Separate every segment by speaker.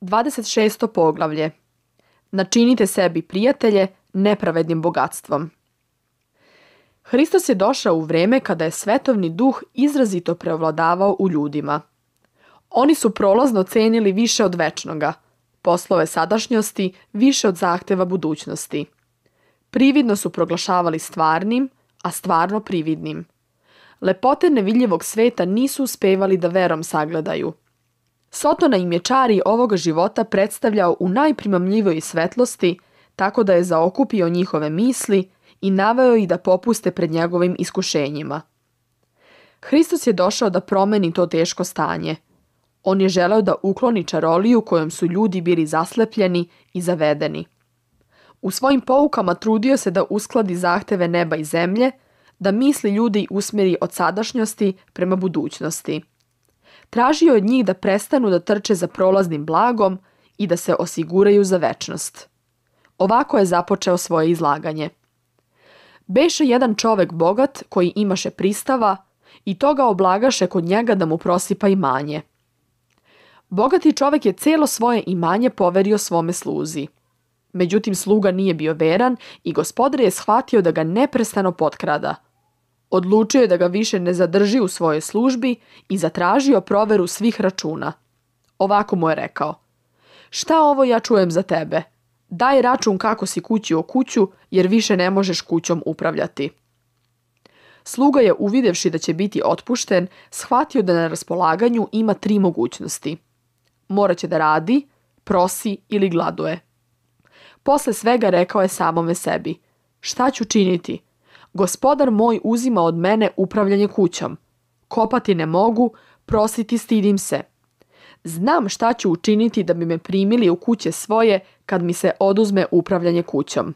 Speaker 1: 26. poglavlje. Načinite sebi prijatelje nepravednim bogatstvom. Hristos je došao u vreme kada je svetovni duh izrazito preovladavao u ljudima. Oni su prolazno cenili više od večnoga, poslove sadašnjosti više od zahteva budućnosti. Prividno su proglašavali stvarnim, a stvarno prividnim. Lepote nevidljivog sveta nisu uspevali da verom sagledaju. Sotona im je čari ovoga života predstavljao u najprimamljivoj svetlosti, tako da je zaokupio njihove misli i naveo ih da popuste pred njegovim iskušenjima. Hristos je došao da promeni to teško stanje. On je želeo da ukloni čaroliju kojom su ljudi bili zaslepljeni i zavedeni. U svojim poukama trudio se da uskladi zahteve neba i zemlje, da misli ljudi usmjeri od sadašnjosti prema budućnosti. Tražio od njih da prestanu da trče za prolaznim blagom i da se osiguraju za večnost. Ovako je započeo svoje izlaganje. Beše jedan čovek bogat koji imaše pristava i toga oblagaše kod njega da mu prosipa imanje. Bogati čovek je celo svoje imanje poverio svome sluzi. Međutim, sluga nije bio veran i gospodar je shvatio da ga neprestano potkrada. Odlučio je da ga više ne zadrži u svojoj službi i zatražio proveru svih računa. Ovako mu je rekao: "Šta ovo ja čujem za tebe? Daj račun kako si kući o kuću, jer više ne možeš kućom upravljati." Sluga je, uvidevši da će biti otpušten, shvatio da na raspolaganju ima 3 mogućnosti. Moraće da radi, prosi ili gladuje. Posle svega rekao je samome sebi: "Šta ću činiti? Gospodar moj uzima od mene upravljanje kućom. Kopati ne mogu, prositi stidim se. Znam šta ću učiniti da bi me primili u kuće svoje kad mi se oduzme upravljanje kućom."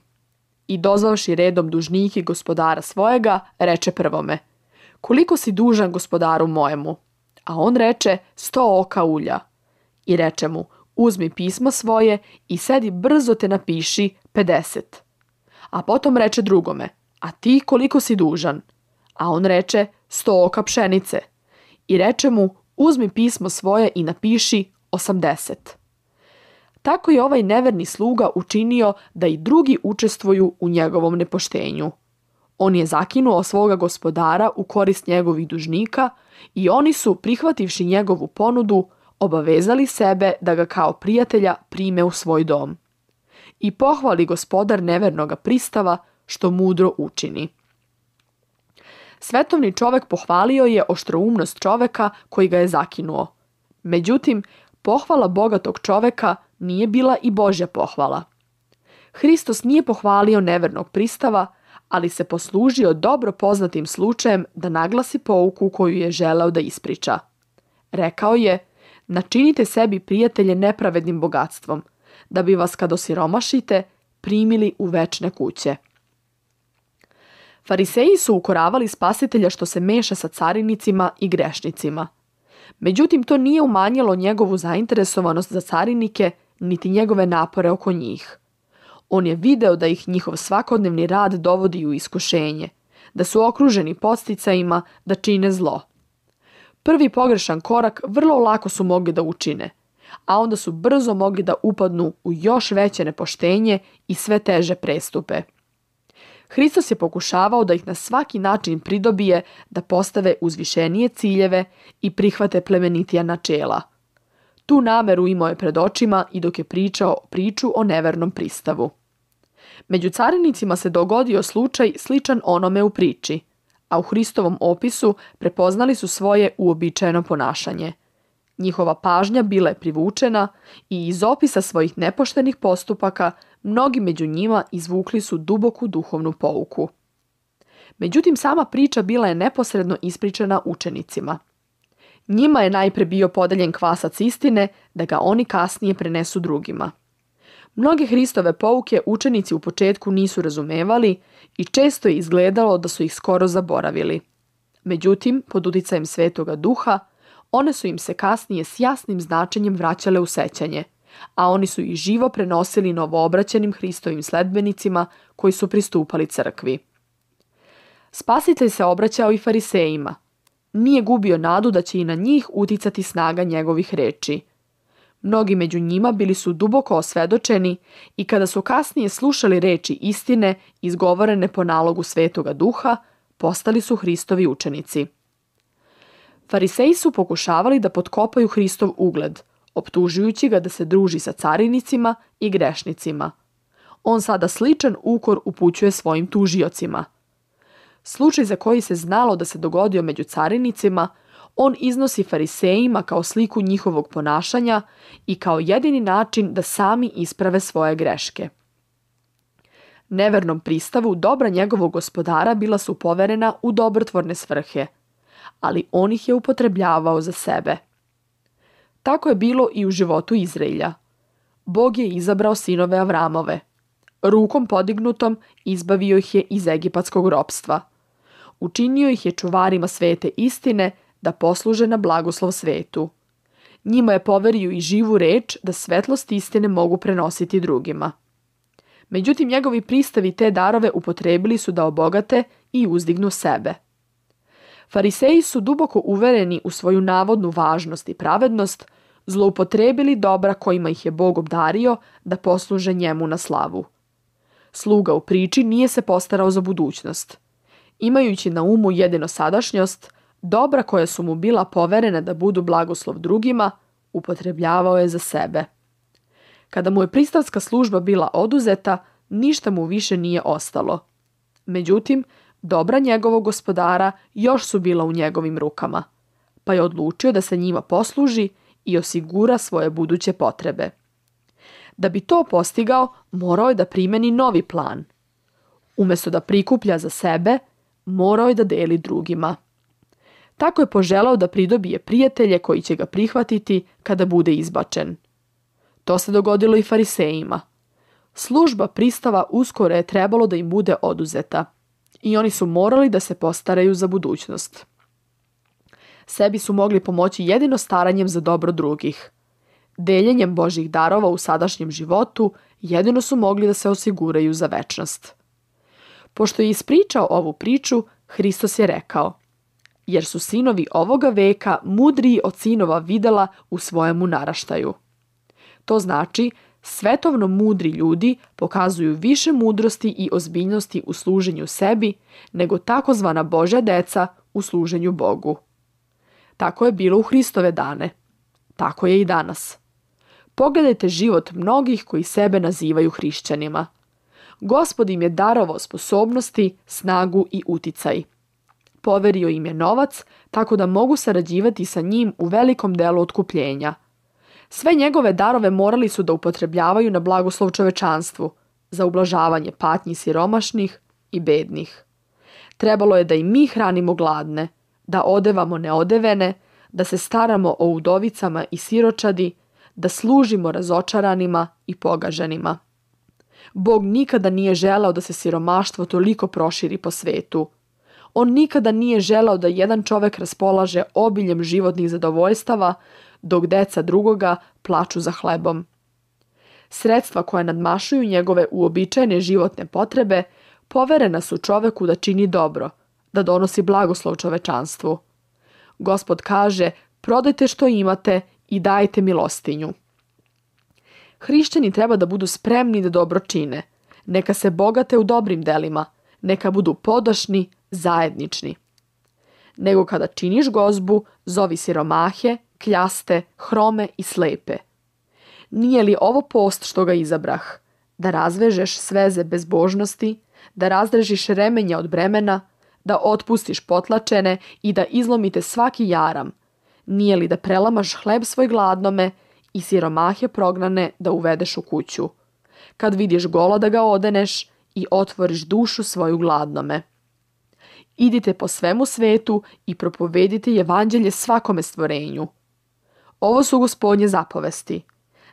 Speaker 1: I dozvavši redom dužnike gospodara svojega, reče prvome: "Koliko si dužan gospodaru mojemu?" A on reče: 100 oka ulja. I reče mu: "Uzmi pismo svoje i sedi brzo te napiši 50. A potom reče drugome: "A ti koliko si dužan?" A on reče: 100 oka pšenice. I reče mu: "Uzmi pismo svoje i napiši 80. Tako je ovaj neverni sluga učinio da i drugi učestvuju u njegovom nepoštenju. On je zakinuo svoga gospodara u korist njegovih dužnika i oni su, prihvativši njegovu ponudu, obavezali sebe da ga kao prijatelja prime u svoj dom. I pohvali gospodar nevernoga pristava što mudro učini. Svetovni čovek pohvalio je oštroumnost čoveka koji ga je zakinuo. Međutim, pohvala bogatog čoveka nije bila i Božja pohvala. Hristos nije pohvalio nevernog pristava, ali se poslužio dobro poznatim slučajem da naglasi pouku koju je želeo da ispriča. Rekao je: "Načinite sebi prijatelje nepravednim bogatstvom, da bi vas kad osiromašite primili u večne kuće." Fariseji su ukoravali Spasitelja što se meša sa carinicima i grešnicima. Međutim, to nije umanjilo njegovu zainteresovanost za carinike, niti njegove napore oko njih. On je video da ih njihov svakodnevni rad dovodi u iskušenje, da su okruženi podsticajima da čine zlo. Prvi pogrešan korak vrlo lako su mogli da učine, a onda su brzo mogli da upadnu u još veće nepoštenje i sve teže prestupe. Hristos je pokušavao da ih na svaki način pridobije da postave uzvišenije ciljeve i prihvate plemenitija načela. Tu nameru imao je pred očima i dok je pričao priču o nevernom pristavu. Među carinicima se dogodio slučaj sličan onome u priči, a u Hristovom opisu prepoznali su svoje uobičajeno ponašanje. Njihova pažnja bila je privučena i iz opisa svojih nepoštenih postupaka mnogi među njima izvukli su duboku duhovnu pouku. Međutim, sama priča bila je neposredno ispričana učenicima. Njima je najpre bio podeljen kvasac istine da ga oni kasnije prenesu drugima. Mnoge Hristove pouke učenici u početku nisu razumevali i često je izgledalo da su ih skoro zaboravili. Međutim, pod uticajem Svetoga Duha, one su im se kasnije s jasnim značenjem vraćale u sećanje, a oni su ih živo prenosili novoobraćenim Hristovim sledbenicima koji su pristupali crkvi. Spasitelj se obraćao i farisejima. Nije gubio nadu da će i na njih uticati snaga njegovih reči. Mnogi među njima bili su duboko osvedočeni i kada su kasnije slušali reči istine izgovorene po nalogu Svetoga Duha, postali su Hristovi učenici. Fariseji su pokušavali da potkopaju Hristov ugled, optužujući ga da se druži sa carinicima i grešnicima. On sada sličan ukor upućuje svojim tužiocima. Slučaj za koji se znalo da se dogodio među carinicima, on iznosi farisejima kao sliku njihovog ponašanja i kao jedini način da sami isprave svoje greške. Nevernom pristavu dobra njegovog gospodara bila su poverena u dobrotvorne svrhe, ali on ih je upotrebljavao za sebe. Tako je bilo i u životu Izraelja. Bog je izabrao sinove Avramove. Rukom podignutom izbavio ih je iz egipatskog ropstva. Učinio ih je čuvarima svete istine da posluže na blagoslov svetu. Njima je poverio i živu reč da svetlost istine mogu prenositi drugima. Međutim, njegovi pristavi te darove upotrebili su da obogate i uzdignu sebe. Fariseji su duboko uvereni u svoju navodnu važnost i pravednost, zloupotrebili dobra kojima ih je Bog obdario da posluže njemu na slavu. Sluga u priči nije se postarao za budućnost. Imajući na umu jedino sadašnjost, dobra koja su mu bila poverena da budu blagoslov drugima, upotrebljavao je za sebe. Kada mu je pristavska služba bila oduzeta, ništa mu više nije ostalo. Međutim, dobra njegovog gospodara još su bila u njegovim rukama, pa je odlučio da se njima posluži i osigura svoje buduće potrebe. Da bi to postigao, morao je da primeni novi plan. Umjesto da prikuplja za sebe, morao je da deli drugima. Tako je poželao da pridobije prijatelje koji će ga prihvatiti kada bude izbačen. To se dogodilo i farisejima. Služba pristava uskoro je trebalo da im bude oduzeta i oni su morali da se postaraju za budućnost. Sebi su mogli pomoći jedino staranjem za dobro drugih. Deljenjem Božjih darova u sadašnjem životu jedino su mogli da se osiguraju za večnost. Pošto je ispričao ovu priču, Hristos je rekao: jer su sinovi ovoga veka mudriji od sinova videla u svojemu naraštaju. To znači, svetovno mudri ljudi pokazuju više mudrosti i ozbiljnosti u služenju sebi nego takozvana Božja deca u služenju Bogu. Tako je bilo u Hristove dane. Tako je i danas. Pogledajte život mnogih koji sebe nazivaju hrišćanima. Gospod im je darovao sposobnosti, snagu i uticaj. Poverio im je novac tako da mogu sarađivati sa njim u velikom delu otkupljenja. Sve njegove darove morali su da upotrebljavaju na blagoslov čovečanstvu, za ublažavanje patnji siromašnih i bednih. Trebalo je da i mi hranimo gladne, da odevamo neodevene, da se staramo o udovicama i siročadi, da služimo razočaranima i pogaženima. Bog nikada nije želeo da se siromaštvo toliko proširi po svetu. On nikada nije želeo da jedan čovek raspolaže obiljem životnih zadovoljstava, dok deca drugoga plaču za hlebom. Sredstva koja nadmašuju njegove uobičajene životne potrebe poverena su čoveku da čini dobro, da donosi blagoslov čovečanstvu. Gospod kaže: prodajte što imate i dajte milostinju. Hrišćani treba da budu spremni da dobro čine. Neka se bogate u dobrim delima, neka budu podašni, zajednični. Nego kada činiš gozbu, zovi siromahe, kljaste, hrome i slepe. Nije li ovo post što ga izabrah? Da razvežeš sveze bezbožnosti, da razrežiš remenja od bremena, da otpustiš potlačene i da izlomite svaki jaram. Nije li da prelamaš hleb svoj gladnome i siromahe prognane da uvedeš u kuću? Kad vidiš gola da ga odeneš i otvoriš dušu svoju gladnome. Idite po svemu svetu i propovedite evanđelje svakome stvorenju. Ovo su Gospodnje zapovesti.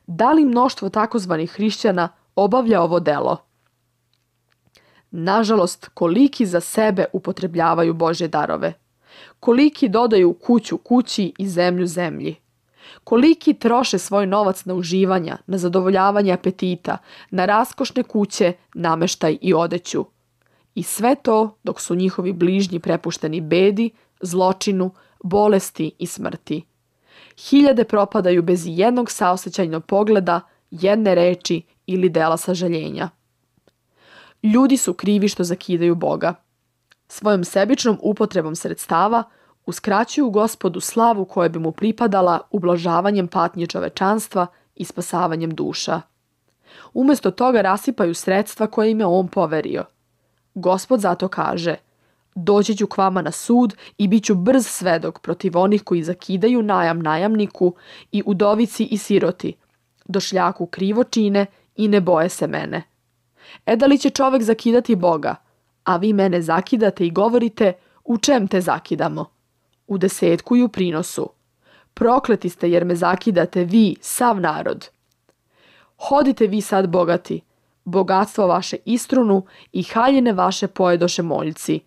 Speaker 1: Da li mnoštvo takozvanih hrišćana obavlja ovo delo? Nažalost, koliki za sebe upotrebljavaju Božje darove. Koliki dodaju kuću kući i zemlju zemlji. Koliki troše svoj novac na uživanja, na zadovoljavanje apetita, na raskošne kuće, nameštaj i odeću. I sve to dok su njihovi bližnji prepušteni bedi, zločinu, bolesti i smrti. Hiljade propadaju bez jednog saosećajnog pogleda, jedne reči ili dela sažaljenja. Ljudi su krivi što zakidaju Boga. Svojom sebičnom upotrebom sredstava uskraćuju Gospodu slavu koja bi mu pripadala ublažavanjem patnje čovečanstva i spasavanjem duša. Umjesto toga rasipaju sredstva koje im je on poverio. Gospod zato kaže: doći ću k vama na sud i bit ću brz svedok protiv onih koji zakidaju najam najamniku i udovici i siroti, došljaku krivo čine i ne boje se mene. Da li će čovek zakidati Boga, a vi mene zakidate i govorite: u čem te zakidamo? U desetku i u prinosu. Prokleti ste jer me zakidate vi, sav narod. Hodite vi sad bogati, bogatstvo vaše istrunu i haljine vaše pojedoše moljci.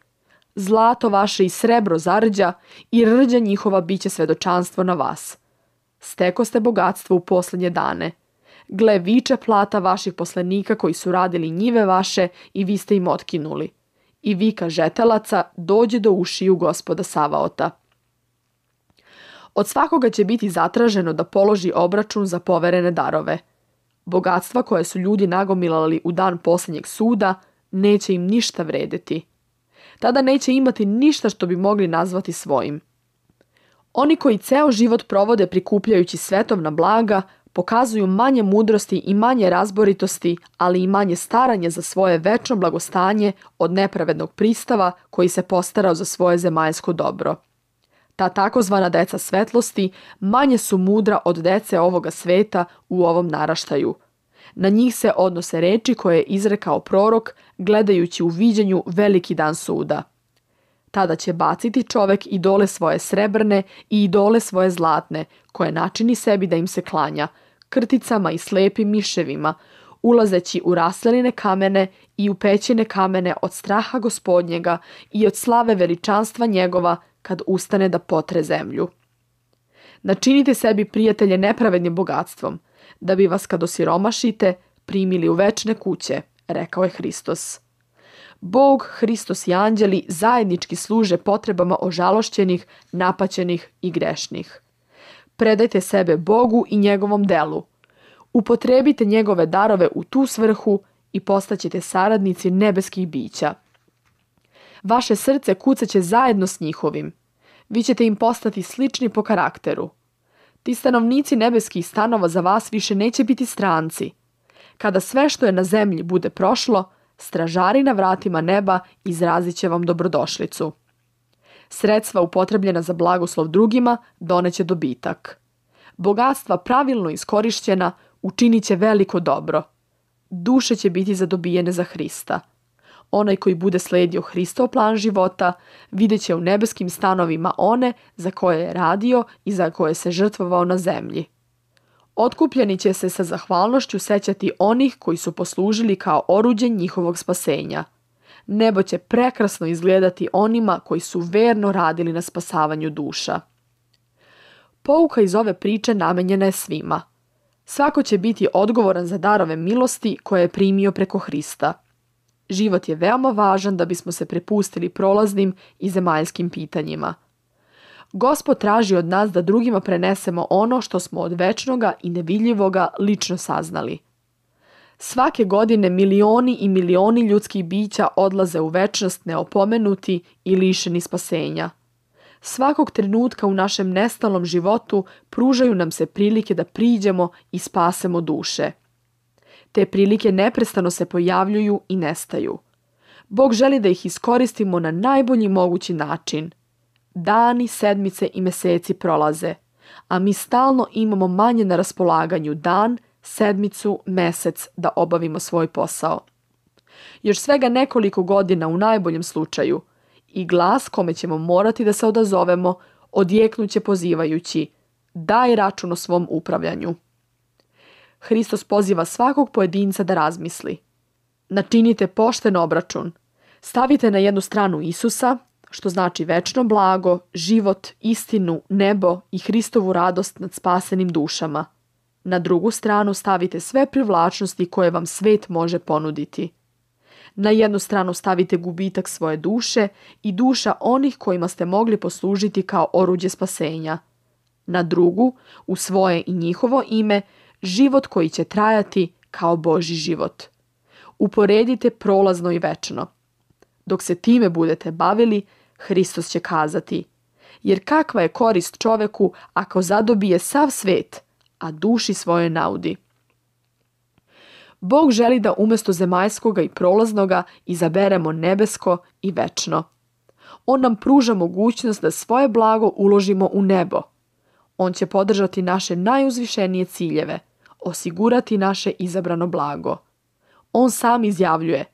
Speaker 1: Zlato vaše i srebro zarđa i rđa njihova biće svedočanstvo na vas. Steko ste bogatstvo u posljednje dane. Gle, viče plata vaših poslenika koji su radili njive vaše i vi ste im otkinuli. I vika žetelaca dođe do ušiju Gospoda Savaota. Od svakoga će biti zatraženo da položi obračun za poverene darove. Bogatstva koje su ljudi nagomilali u dan posljednjeg suda neće im ništa vredeti. Tada neće imati ništa što bi mogli nazvati svojim. Oni koji ceo život provode prikupljajući svetovna blaga pokazuju manje mudrosti i manje razboritosti, ali i manje staranje za svoje večno blagostanje od nepravednog pristava koji se postarao za svoje zemaljsko dobro. Ta takozvana deca svetlosti manje su mudra od dece ovoga sveta u ovom naraštaju. Na njih se odnose reči koje je izrekao prorok, gledajući u viđenju veliki dan suda. Tada će baciti čovek idole svoje srebrne i idole svoje zlatne, koje načini sebi da im se klanja, krticama i slepim miševima, ulazeći u rasleline kamene i u pećine kamene od straha Gospodnjega i od slave veličanstva njegova kad ustane da potre zemlju. Načinite sebi prijatelje nepravednim bogatstvom, da bi vas kad osiromašite primili u večne kuće, rekao je Hristos. Bog, Hristos i anđeli zajednički služe potrebama ožalošćenih, napaćenih i grešnih. Predajte sebe Bogu i njegovom delu. Upotrebite njegove darove u tu svrhu i postaćete saradnici nebeskih bića. Vaše srce kucaće zajedno s njihovim. Vi ćete im postati slični po karakteru. Ti stanovnici nebeskih stanova za vas više neće biti stranci. Kada sve što je na zemlji bude prošlo, stražari na vratima neba izrazit će vam dobrodošlicu. Sredstva upotrebljena za blagoslov drugima doneće dobitak. Bogatstva pravilno iskorišćena učinit će veliko dobro. Duše će biti zadobijene za Hrista. Onaj koji bude sledio Hristov plan života vidjet će u nebeskim stanovima one za koje je radio i za koje se žrtvovao na zemlji. Otkupljeni će se sa zahvalnošću sećati onih koji su poslužili kao oruđe njihovog spasenja. Nebo će prekrasno izgledati onima koji su verno radili na spasavanju duša. Pouka iz ove priče namenjena je svima. Svako će biti odgovoran za darove milosti koje je primio preko Hrista. Život je veoma važan da bismo se prepustili prolaznim i zemaljskim pitanjima. Gospod traži od nas da drugima prenesemo ono što smo od večnoga i nevidljivoga lično saznali. Svake godine milioni i milioni ljudskih bića odlaze u večnost neopomenuti i lišeni spasenja. Svakog trenutka u našem nestalom životu pružaju nam se prilike da priđemo i spasemo duše. Te prilike neprestano se pojavljuju i nestaju. Bog želi da ih iskoristimo na najbolji mogući način. Dani, sedmice i meseci prolaze, a mi stalno imamo manje na raspolaganju dan, sedmicu, mesec da obavimo svoj posao. Još svega nekoliko godina u najboljem slučaju i glas kome ćemo morati da se odazovemo odjeknuće pozivajući: daj račun o svom upravljanju. Hristos poziva svakog pojedinca da razmisli. Načinite pošten obračun. Stavite na jednu stranu Isusa, što znači večno blago, život, istinu, nebo i Hristovu radost nad spasenim dušama. Na drugu stranu stavite sve privlačnosti koje vam svet može ponuditi. Na jednu stranu stavite gubitak svoje duše i duša onih kojima ste mogli poslužiti kao oruđe spasenja. na drugu, u svoje i njihovo ime, život koji će trajati kao Božji život. Uporedite prolazno i večno. Dok se time budete bavili, Hristos će kazati: jer kakva je korist čoveku ako zadobije sav svet, a duši svoje naudi? Bog želi da umjesto zemaljskoga i prolaznoga izaberemo nebesko i večno. On nam pruža mogućnost da svoje blago uložimo u nebo. On će podržati naše najuzvišenije ciljeve, osigurati naše izabrano blago. On sam izjavljuje: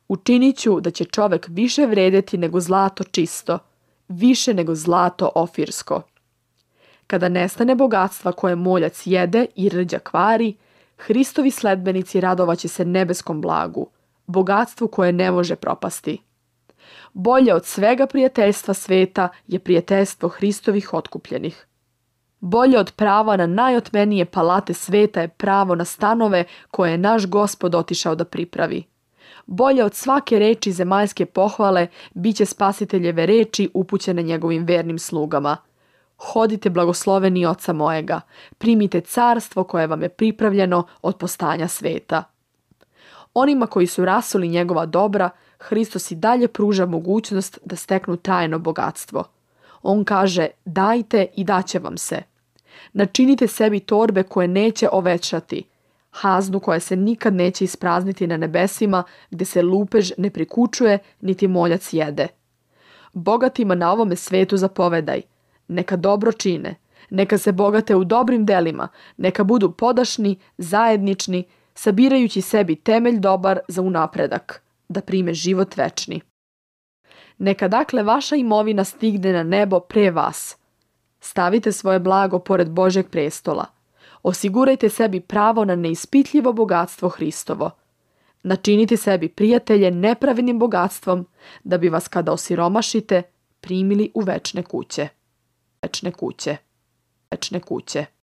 Speaker 1: učinit ću da će čovek više vredeti nego zlato čisto, više nego zlato ofirsko. Kada nestane bogatstva koje moljac jede i rđa kvari, Hristovi sledbenici radovaće se nebeskom blagu, bogatstvu koje ne može propasti. Bolje od svega prijateljstva sveta je prijateljstvo Hristovih otkupljenih. Bolje od prava na najotmenije palate sveta je pravo na stanove koje je naš Gospod otišao da pripravi. Bolje od svake reči zemaljske pohvale biće Spasiteljeve reči upućene njegovim vernim slugama. Hodite blagosloveni Oca mojega, primite carstvo koje vam je pripravljeno od postanja sveta. Onima koji su rasuli njegova dobra, Hristos i dalje pruža mogućnost da steknu trajno bogatstvo. On kaže: dajte i daće vam se. Načinite sebi torbe koje neće ovećati, haznu koja se nikad neće isprazniti na nebesima, gdje se lupež ne prikučuje niti moljac jede. Bogatima na ovome svetu zapovedaj: neka dobro čine, neka se bogate u dobrim delima, neka budu podašni, zajednični, sabirajući sebi temelj dobar za unapredak, da prime život večni. Neka dakle vaša imovina stigne na nebo pre vas. Stavite svoje blago pored Božjeg prestola. Osigurajte sebi pravo na neispitljivo bogatstvo Hristovo. Načinite sebi prijatelje nepravednim bogatstvom, da bi vas kada osiromašite primili u večne kuće. Večne kuće. Večne kuće.